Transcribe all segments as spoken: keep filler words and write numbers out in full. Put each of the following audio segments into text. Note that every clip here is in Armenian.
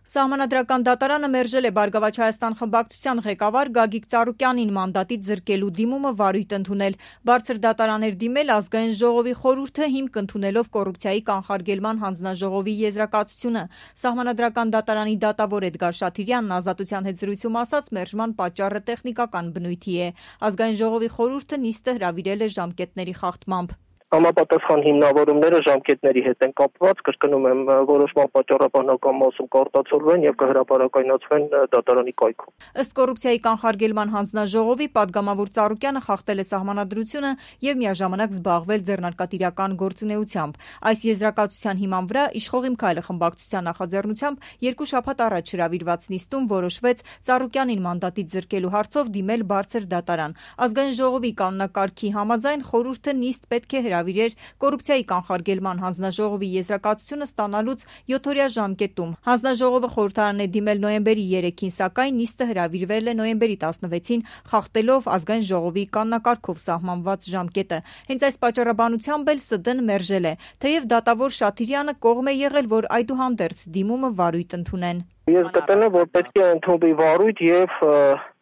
Սահմանադրական դատարանը մերժել է Բարգավաճ Հայաստան խմբակցության ղեկավար Գագիկ Ծառուկյանին մանդատից զրկելու դիմումը վարույթ ընդունել։ Բարձր դատարան էր դիմել Ազգային ժողովի խորհուրդը հիմք ընդունելով կոռուպցիայի կանխարգելման հանձնաժողովի եզրակացությունը։ Սահմանադրական դատարանի դատավոր Էդգար Շաթիրյանն Ազատության հետ զրույցում ասաց, մերժման պատճառը տեխնիկական բնույթի է։ Ազգային ժողովի խորհուրդը նիստը հրավիրել է ժամկետների խախտմամբ։ Համապատասխան հիմնավորումները ժամկետների հետ են կապված, կրկնում եմ, որոշման պատճառաբանական մասում կարտացոլվեն եւ կհրապարակայնացվեն դատարանի կայքում։ Ըստ կոռուպցիայի կանխարգելման հանձնաժողովի պատգամավոր Ծառուկյանը խախտել է սահմանադրությունը եւ միաժամանակ զբաղվել ձեռնարկատիրական գործունեությամբ։ Այս եզրակացության հիման վրա Իշխող իմ քայլը խմբակցության նախաձեռնությամբ երկու շաբաթ առաջ հրավիրված նիստում որոշվեց Ծառուկյանին մանդատից զրկելու հարցով դիմել բարձր դատարան։ Ազգային ժողովի կանոնակարգի համաձայն խորհուրդը նիստ պետք է հրավիրեր կոռուպցիայի կանխարգելման հանձնաժողովի եզրակացությունը ստանալուց յոթօրյա ժամկետում։ Հանձնաժողովը խորհրդարան է դիմել նոյեմբերի երեքին, սակայն նիստը հրավիրվել է նոյեմբերի տասնվեցին, խախտելով Ազգային ժողովի կանոնակարգով սահմանված ժամկետը։ Հենց այս պատճառաբանությամբ էլ ՍԴ-ն մերժել է, թեև դատավոր Շաթիրյանը կողմ է եղել, որ այդուհանդերձ դիմումը վարույթ ընդունեն։ Ես գտնում եմ, որ պետք է ընդունվի վարույթ եւ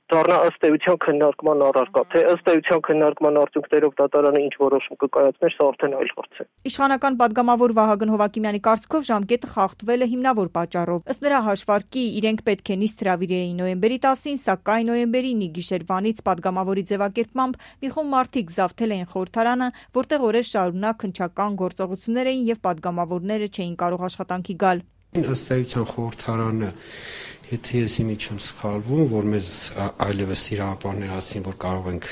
դառնա ըստ էության քննարկման առարկա, թե ըստ էության քննարկման արդյունքներով դատարանը ինչ որոշում կկայացներ, սա արդեն այլ հարց է։ Իշխանական պատգամավոր Վահագն Հովակիմյանի կարծիքով ժամկետը խախտվել է հիմնավոր պատճառով։ Ըստ նրա հաշվարկի իրենք պետք է նիստ հրավիրեին նոյեմբերի տասին, սակայն նոյեմբերի գիշերվանից պատգամավորի ձևակերպմամբ մի խումբ մարդիկ զավթել էին խորհրդարանը, որտեղ օրեր շարունակ հնչական գործողություններ էին եւ պատգամավորները չէին կարող աշխատանքի գալ։ Ըստ էության խորհրդարանը, եթե ես իմիջ չեմ սխալվում, որ մեզ այլևս իրավապահներ ասին, որ կարող ենք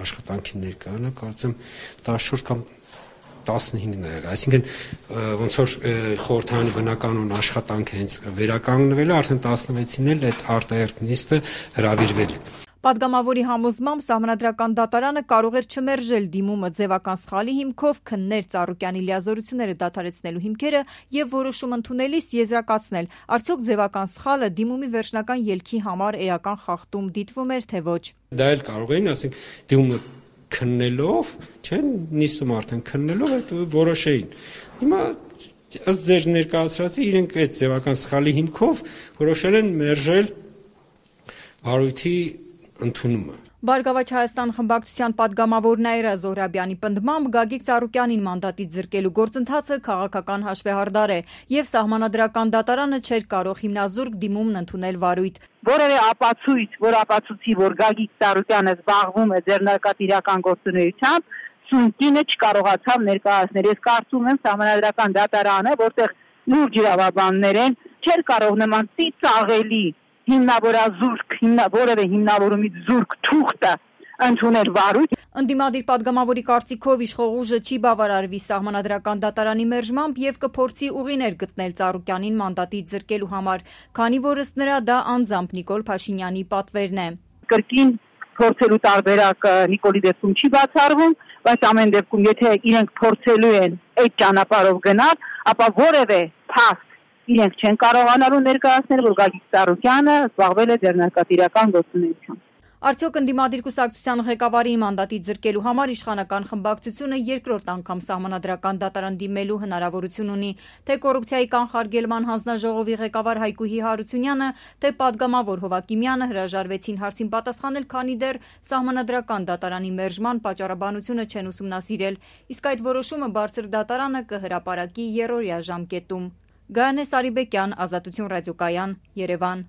աշխատանքի ներկայանալ, կարծեմ տասնչորս կամ տասնհինգն է եղել, այսինքն ոնց որ խորհրդարանի բնականոն աշխատանքը հենց վերականգնվել է, արդեն տասնվեցին էլ այդ արտահերթ նիստը հրավիրվել է։ Պատգամավորի համոզմամբ Սահմանադրական դատարանը կարող էր չմերժել դիմումը ձևական սխալի հիմքով, քններ Ծառուկյանի լիազորությունները դադարեցնելու հիմքերը եւ որոշում ընդունելիս եզրակացնել, արդյոք ձևական սխալը դիմումի վերջնական ելքի համար էական խախտում դիտվում էր, թե ոչ։ Դա էլ կարող էին, ասենք, դիմումը քննելով, չէ՞, նիստում արդեն քննելով այդ որոշեին։ Հիմա ըստ ձեր ներկայացրածի իրենք այդ ձևական սխալի հիմքով որոշել են մերժել վարույթի ընդունումը։ Բարգավաճ Հայաստան խմբակցության պատգամավոր Նաիրա Զոհրաբյանի պնդմամբ Գագիկ Ծառուկյանին մանդատից զրկելու գործընթացը քաղաքական հաշվեհարդար է եւ Սահմանադրական դատարանը չէր կարող հիմնազուրկ դիմումն ընդունել վարույթ։ Որևէ ապացույց, որ ապացուցի, որ Գագիկ Ծառուկյանը զբաղվում է ձեռնարկատիրական գործունեությամբ, սույնկինը չկարողացավ ներկայացնել։ Ես կարծում եմ Սահմանադրական դատարանը, որտեղ լուրջ իրավաբաններ են, չէր կարող նման ծիծաղելի հիմնավորազուրկ, հիմնա, որևէ հիմնավորումից զուրկ թուղթը ընդունել վարույթ։ Ընդդիմադիր պատգամավորի կարծիքով իշխող ուժը չի բավարարվի Սահմանադրական դատարանի մերժմամբ եւ կփորձի ուղիներ գտնել Ծառուկյանին մանդատից զրկելու համար, քանի որ ըստ նրա դա անձամբ Նիկոլ Փաշինյանի պատվերն է։ Կրկին փորձելու տարբերակը Նիկոլի դեպքում չի բացառվում, բայց ամեն դեպքում եթե իրենք փորձելու են այդ ճանապարհով գնալ, ապա որևէ փաստ իրենք չեն կարողանալու ներկայացնել, որ Գագիկ Ծառուկյանը զբաղվել է ձեռնարկատիրական գործունեությամբ։ Արդյոք ընդդիմադիր կուսակցության ղեկավարի մանդատից զրկելու համար իշխանական խմբակցությունը երկրորդ անգամ Սահմանադրական դատարան դիմելու հնարավորություն ունի, թե կոռուպցիայի կանխարգելման հանձնաժողովի ղեկավար Հայկուհի Հարությունյանը, թե պատգամավոր Հովակիմյանը հրաժարվեցին հարցին պատասխանել, քանի դեռ Սահմանադրական դատարանի մերժման պատճառաբանությունը չեն ուսումնասիրել, իսկ այդ որոշումը բարձր դատարանը կհրապարակի եռօրյա ժամկետում։ Գայանե Սարիբեկյան, Ազատություն ռադիոկայան, Երևան։